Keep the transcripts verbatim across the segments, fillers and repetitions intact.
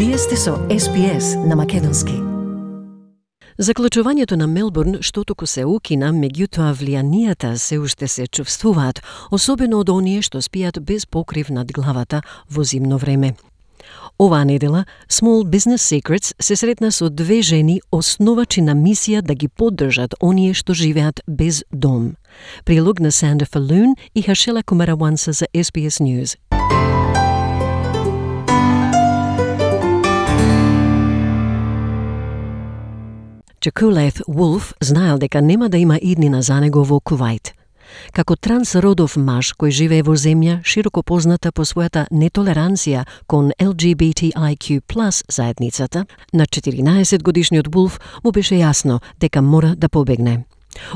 Вие сте со Ес Би Ес на македонски. Заклучувањето на Мелбурн што току се укина, меѓутоа влијанијата се уште се чувствуваат, особено од оние што спијат без покрив над главата во зимно време. Оваа недела Small Business Secrets се сретна со две жени основачи на мисија да ги поддржат оние што живеат без дом. Прилог на Санда Фалун и Хашела Кумараванса за Ес Би Ес News. Джакулет Вулф знаел дека нема да има иднина за него во Кувајт. Како трансродов маж кој живее во земја широко позната по својата нетолеранција кон Ел Джи Би Ти Ај Кју плюс заедницата, на четиринаесет годишниот Вулф му беше јасно дека мора да побегне.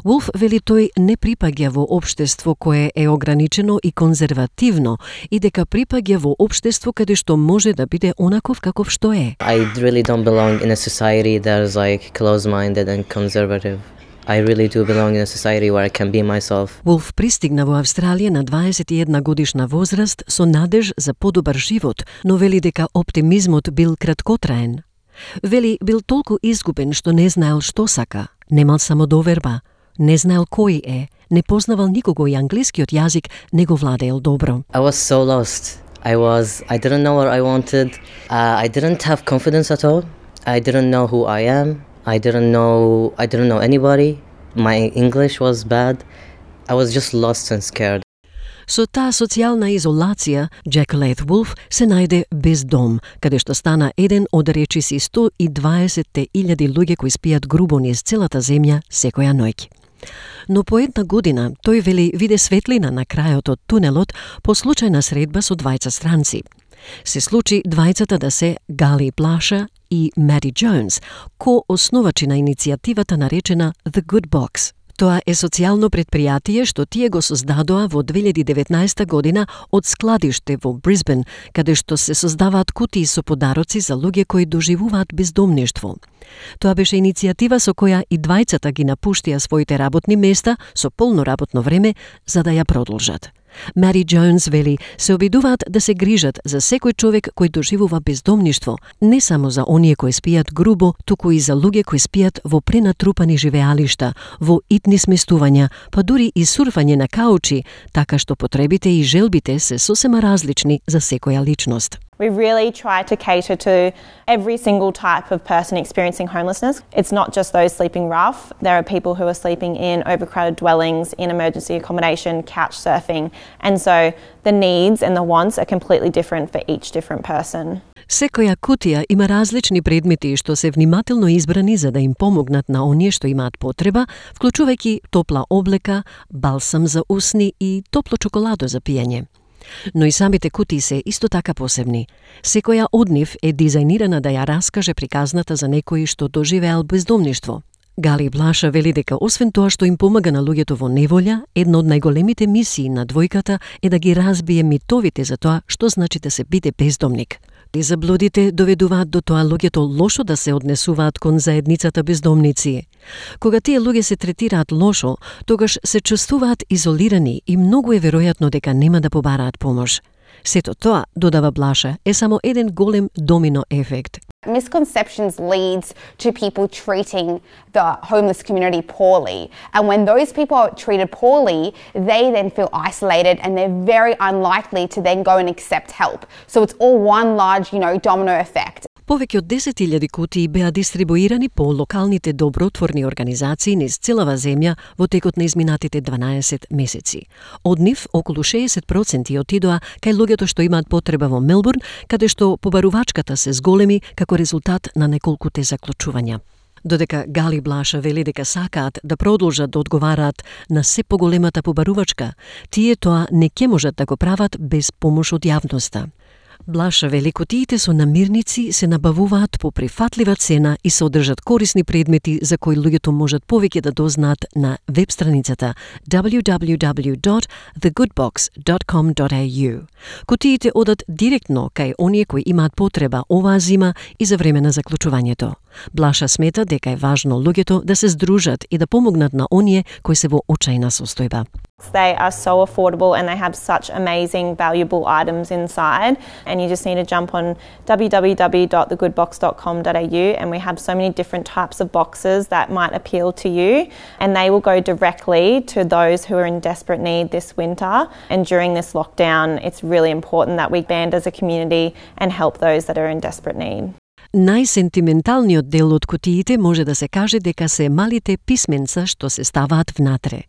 Вулф вели тој не припаѓа во општество кое е ограничено и конзервативно и дека припаѓа во општество каде што може да биде онаков каков што е. I really don't belong in a society that is like closed-minded and conservative. I really do belong in a society where I can be myself. Вулф пристигна во Австралија на дваесет и една годишна возраст со надеж за подобар живот, но вели дека оптимизмот бил краткотраен. Вели бил толку изгубен што не знаел што сака, немал самодоверба, не знаел кој е, не познавал никого и англискиот јазик не го владеел добро. I was so lost. I was, I didn't know what I wanted. Uh, I didn't have confidence at all. I didn't know who I am. I didn't know, I didn't know anybody. My English was bad. I was just lost and scared. Со таа социјална изолација, Джакулет Вулф се најде без дом, каде што стана еден од речиси сто и дваесет илјади луѓе кои спијат грубо низ целата земја секоја ноќ. Но по една година тој вели виде светлина на крајот од тунелот по случајна средба со двајца странци. Се случи двајцата да се Гали Блаша и Мади Джонс, ко-основачи на иницијативата наречена The Good Box. Тоа е социјално предпријатие што тие го создадоа во две илјади и деветнаесета година од складиште во Брисбен, каде што се создаваат кутии со подароци за луѓе кои доживуваат бездомништво. Тоа беше иницијатива со која и двајцата ги напуштија своите работни места со полно работно време за да ја продолжат. Мади Джонс вели се обидуваат да се грижат за секој човек кој доживува бездомништво, не само за оние кои спијат грубо, туку и за луѓе кои спијат во пренатрупани живеалишта, во итни сместувања, па дури и сурфање на каучи, така што потребите и желбите се сосема различни за секоја личност. We really try to cater to every single type of person experiencing homelessness. It's not just those sleeping rough. There are people who are sleeping in overcrowded dwellings, in emergency accommodation, couch surfing. And so the needs and the wants are completely different for each different person. Секоја кутија има различни предмети што се внимателно избрани за да им помогнат на оние што имаат потреба, вклучувајќи топла облека, балсам за усни и топло чоколадо за пиење. Но и самите кутии се исто така посебни. Секоја од нив е дизајнирана да ја раскаже приказната за некој што доживеал бездомништво. Гали Блаша вели дека освен тоа што им помага на луѓето во неволја, една од најголемите мисии на двојката е да ги разбие митовите за тоа што значи да се биде бездомник. И заблудите доведуваат до тоа луѓето лошо да се однесуваат кон заедницата бездомници. Кога тие луѓе се третираат лошо, тогаш се чувствуваат изолирани и многу е веројатно дека нема да побараат помош. Сето тоа, додава Блаша, е само еден голем домино ефект. Misconceptions leads to people treating the homeless community poorly. And when those people are treated poorly, they then feel isolated and they're very unlikely to then go and accept help. So it's all one large, you know, domino effect. Повеќе од десет илјади кутии беа дистрибуирани по локалните добротворни организации низ целава земја во текот на изминатите дванаесет месеци. Од нив, околу шеесет проценти отидоа кај луѓето што имаат потреба во Мелбурн, каде што побарувачката се зголеми како резултат на неколкуте заклучувања. Додека Гали Блаша вели дека сакаат да продолжат да одговараат на се поголемата побарувачка, тие тоа не ќе можат да го прават без помош од јавноста. Блаша вели кутиите со намирници се набавуваат по прифатлива цена и содржат корисни предмети за кои луѓето можат повеќе да дознаат на веб страницата дабљу дабљу дабљу dot the good box dot com dot a u. Кутиите одат директно кај оние кои имаат потреба оваа зима и за време на заклучувањето. Блаша смета дека е важно луѓето да се здружат и да помогнат на оние кои се во очајна состојба. They are so affordable and they have such amazing, valuable items inside. And you just need to jump on w w w dot the good box dot com dot a u, and we have so many different types of boxes that might appeal to you. And they will go directly to those who are in desperate need this winter. And during this lockdown, it's really important that we band as a community and help those that are in desperate need. Најсентименталниот дел од кутиите може да се каже дека се малите писменца што се ставаат внатре.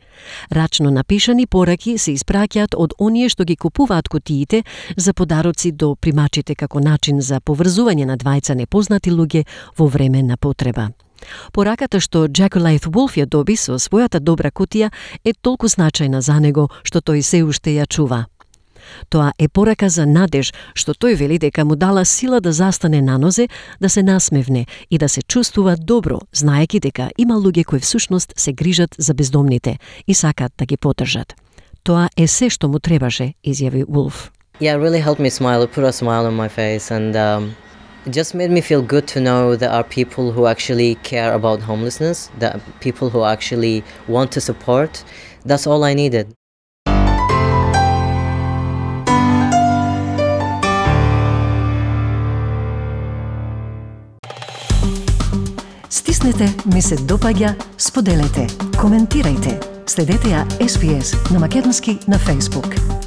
Рачно напишани пораки се испраќаат од оние што ги купуваат кутиите за подароци до примачите како начин за поврзување на двајца непознати луѓе во време на потреба. Пораката што Jacqueline Wolf ја доби со својата добра кутија е толку значајна за него што тој се уште ја чува. Тоа е порака за надеж, што тој вели дека му дала сила да застане на нозе, да се насмевне и да се чувствува добро, знаеки дека има луѓе кои всушност се грижат за бездомните и сакат да ги поддржат. Тоа е се што му требаше, изјави Wolf. Yeah, it really helped me smile. It put a smile on my face, and um, it just made me feel good to know there are people who actually care about homelessness, that people who actually want to support. That's all I needed. Стиснете, ми се допаѓа, споделете, коментирајте. Следете ја Ес Би Ес на македонски на Facebook.